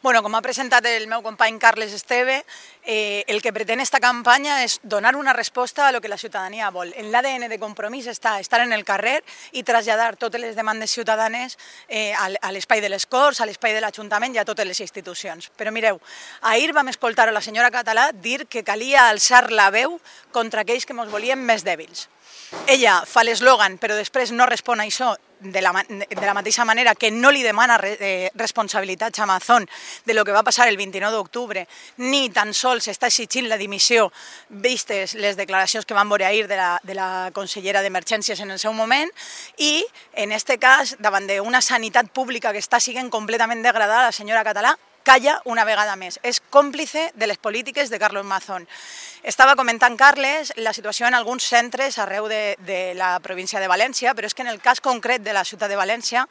Bueno, com ha presentat el meu company Carles Esteve, el que pretén esta campanya és donar una resposta a lo que la ciutadania vol. En l'ADN de Compromís està estar en el carrer i traslladar totes les demandes ciutadanes a l'espai de les Corts, a l'espai de l'Ajuntament i a totes les institucions. Però mireu, ahir vam escoltar a la senyora Català dir que calia alçar la veu contra aquells que ens volien més dèbils. Ella fa l'eslògan, però després no respon a això de la mateixa manera que no li demana responsabilitats a Amazon de lo que va passar el 29 d'octubre, ni tan sols està exigint la dimissió, vistes les declaracions que van veure ahir de la consellera d'Emergències en el seu moment, i en aquest cas, davant d'una sanitat pública que està sent completament degradada, la senyora Català calla una vegada més. És còmplice de les polítiques de Carlos Mazón. Estava comentant Carles la situació en alguns centres arreu de la província de València, però és que en el cas concret de la ciutat de València,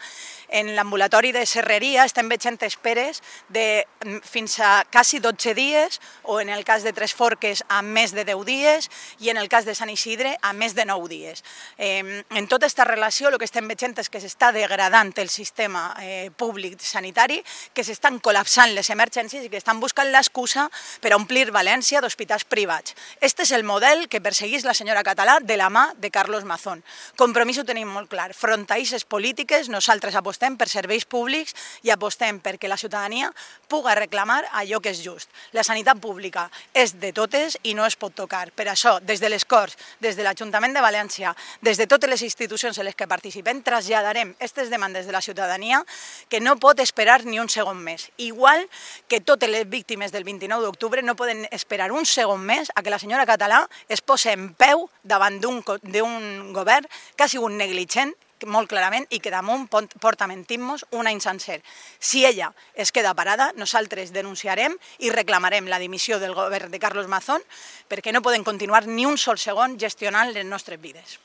en l'ambulatori de Serreria estem veient esperes de fins a quasi 12 dies, o en el cas de Tres Forques a més de 10 dies, i en el cas de Sant Isidre a més de 9 dies. En tota aquesta relació el que estem veient és que s'està degradant el sistema públic sanitari, que s'estan col·lapsant les emergències i que estan buscant l'excusa per omplir València d'hospitals privats. Este és el model que perseguís la senyora Català de la mà de Carlos Mazón. Compromís ho tenim molt clar. Front a aquestes polítiques, nosaltres apostem per serveis públics i apostem perquè la ciutadania puga reclamar allò que és just. La sanitat pública és de totes i no es pot tocar. Per això, des de les Corts, des de l'Ajuntament de València, des de totes les institucions en les que participem, traslladarem aquestes demandes de la ciutadania que no pot esperar ni un segon més. Igual que totes les víctimes del 29 d'octubre no poden esperar un segon més a que la senyora Català es posi en peu davant d'un govern que ha sigut negligent, molt clarament, i que damunt porta mentint-nos un any sencer. Si ella es queda parada, nosaltres denunciarem i reclamarem la dimissió del govern de Carlos Mazón perquè no poden continuar ni un sol segon gestionant les nostres vides.